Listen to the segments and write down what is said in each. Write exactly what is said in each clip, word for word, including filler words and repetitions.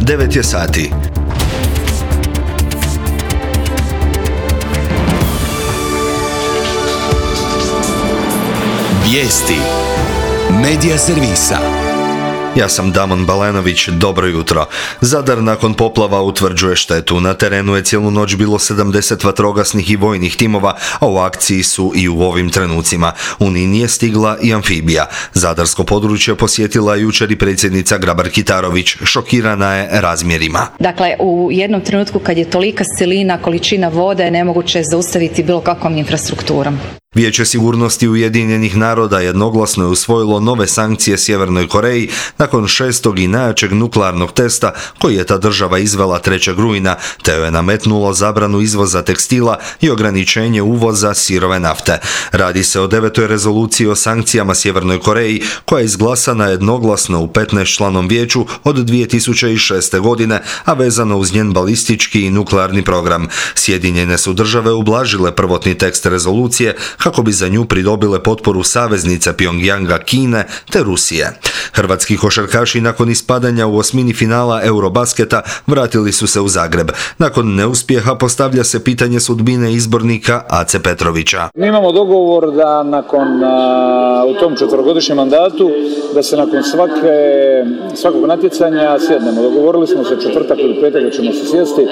devet je sati. Vijesti Medija servisa. Ja sam Damon Balenović, dobro jutro. Zadar nakon poplava utvrđuje štetu. Na terenu je cijelu noć bilo sedamdeset vatrogasnih i vojnih timova, a u akciji su i u ovim trenucima. U Nin je stigla i amfibija. Zadarsko područje posjetila jučer i predsjednica Grabar-Kitarović. Šokirana je razmjerima. Dakle, u jednom trenutku kad je tolika silina, količina vode, nemoguće je zaustaviti bilo kakvom infrastrukturom. Vijeće sigurnosti Ujedinjenih naroda jednoglasno je usvojilo nove sankcije Sjevernoj Koreji nakon šestog i najjačeg nuklearnog testa koji je ta država izvela trećeg rujna, te joj je nametnulo zabranu izvoza tekstila i ograničenje uvoza sirove nafte. Radi se o devetoj rezoluciji o sankcijama Sjevernoj Koreji koja je izglasana jednoglasno u petnaestčlanom vijeću od dvije tisuće šeste. godine, a vezano uz njen balistički i nuklearni program. Sjedinjene su države ublažile prvotni tekst rezolucije kako bi za nju pridobile potporu saveznice Pjongjanga, Kine te Rusije. Hrvatski košarkaši nakon ispadanja u osmini finala Eurobasketa vratili su se u Zagreb. Nakon neuspjeha postavlja se pitanje sudbine izbornika Ace Petrovića. Mi imamo dogovor da nakon a, u tom četverogodišnjem mandatu da se nakon svake, svakog natjecanja sjednemo. Dogovorili smo se četvrtak ili petak da ćemo se sjesti.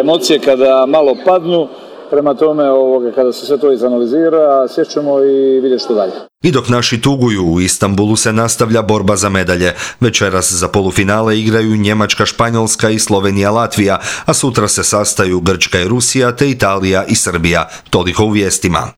Emocije kada malo padnu, prema tome ovoga, kada se sve to izanalizira, sjećamo i vidjeti što dalje. I dok naši tuguju, u Istanbulu se nastavlja borba za medalje. Večeras za polufinale igraju Njemačka, Španjolska i Slovenija, Latvija, a sutra se sastaju Grčka i Rusija te Italija i Srbija. Toliko u vijestima.